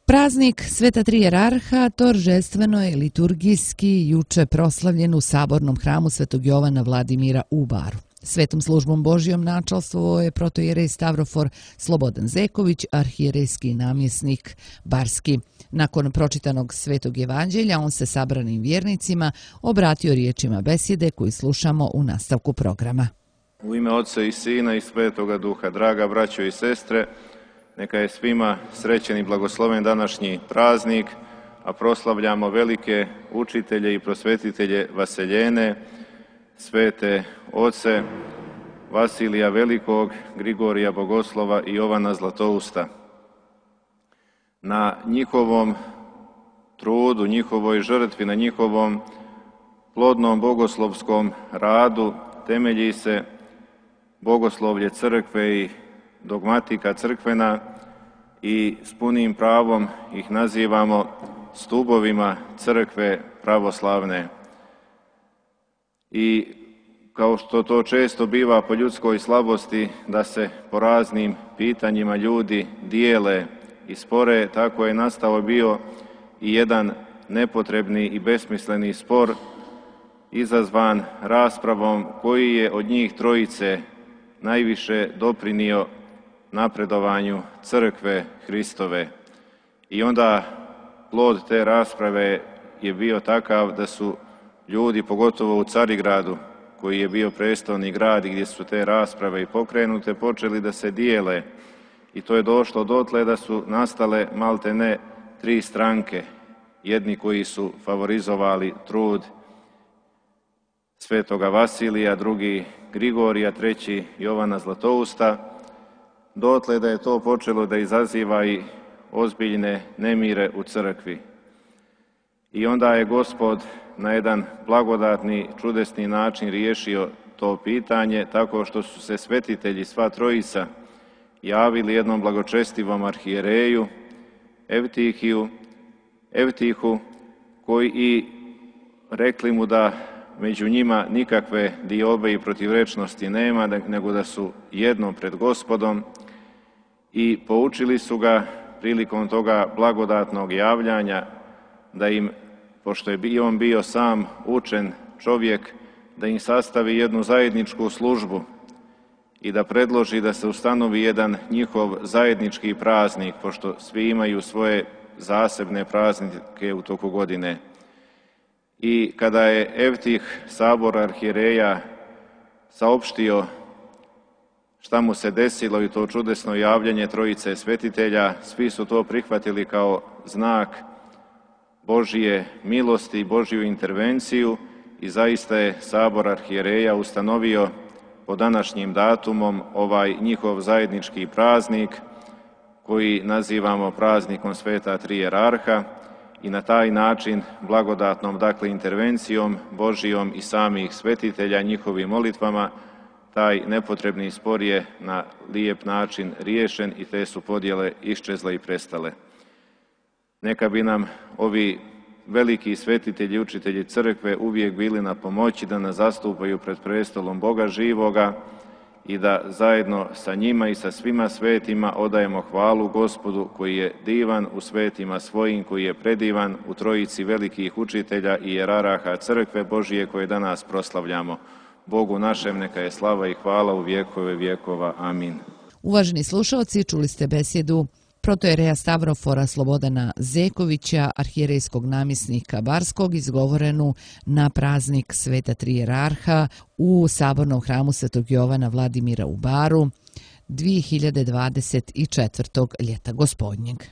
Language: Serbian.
Praznik Sveta Tri Jerarha торжествено je liturgijski juče proslavljen u Sabornom hramu Svetog Jovana Vladimira u Baru. Svetom službom Božjom načalstvovao je protoijerej Stavrofor Slobodan Zeković, arhijerejski namjesnik Barski. Nakon pročitanog Svetog evanđelja on se sabranim vjernicima obratio riječima besjede koju slušamo u nastavku programa. U ime Otca i Sina i Svetoga Duha, draga braćo i sestre, neka je svima srećen i blagosloven današnji praznik, a proslavljamo velike učitelje i prosvetitelje Vaseljene, svete oce Vasilija Velikog, Grigorija Bogoslova i Jovana Zlatousta. Na njihovom trudu, njihovoj žrtvi, na njihovom plodnom bogoslovskom radu temelji se bogoslovlje crkve i dogmatika crkvena i s punim pravom ih nazivamo stubovima crkve pravoslavne. I kao što to često biva po ljudskoj slabosti, da se po raznim pitanjima ljudi dijele i spore, tako je nastao bio i jedan nepotrebni i besmisleni spor izazvan raspravom koji je od njih trojice najviše doprinio napredovanju crkve Hristove. I onda plod te rasprave je bio takav da su ljudi, pogotovo u Carigradu, koji je bio prestolni grad i gdje su te rasprave i pokrenute, počeli da se dijele. I to je došlo dotle da su nastale malte ne tri stranke. Jedni koji su favorizovali trud svetoga Vasilija, drugi Grigorija, treći Jovana Zlatousta, dotle da je to počelo da izaziva i ozbiljne nemire u crkvi. I onda je Gospod na jedan blagodatni, čudesni način riješio to pitanje tako što su se svetitelji, sva trojica, javili jednom blagočestivom arhijereju, Evtihu, koji i rekli mu da među njima nikakve diobe i protivrečnosti nema, nego da su jedno pred Gospodom, i poučili su ga prilikom toga blagodatnog javljanja da im, pošto je i on bio sam učen čovjek, da im sastavi jednu zajedničku službu i da predloži da se ustanovi jedan njihov zajednički praznik, pošto svi imaju svoje zasebne praznike u toku godine. I kada je Evtih, sabor arhijereja, saopštio šta mu se desilo i to čudesno javljanje trojice svetitelja, svi su to prihvatili kao znak Božje milosti i Božju intervenciju i zaista je sabor arhijereja ustanovio po današnjim datumom ovaj njihov zajednički praznik koji nazivamo praznikom Sveta Tri Jerarha i na taj način blagodatnom, dakle intervencijom Božijom i samih svetitelja njihovim molitvama, taj nepotrebni spor je na lijep način riješen i te su podjele iščezle i prestale. Neka bi nam ovi veliki svetitelji i učitelji crkve uvijek bili na pomoći da nas zastupaju pred prestolom Boga živoga i da zajedno sa njima i sa svima svetima odajemo hvalu Gospodu koji je divan u svetima svojim, koji je predivan u trojici velikih učitelja i jeraraha crkve Božije koje danas proslavljamo. Bogu našem neka je slava i hvala u vjekove vjekova. Amin. Uvaženi slušalci, čuli ste besjedu protoijereja Stavrofora Slobodana Zekovića, arhijerejskog namjesnika Barskog, izgovorenu na praznik Sveta Tri Jerarha u Sabornom hramu Svetog Jovana Vladimira u Baru 2024. ljeta gospodnjeg.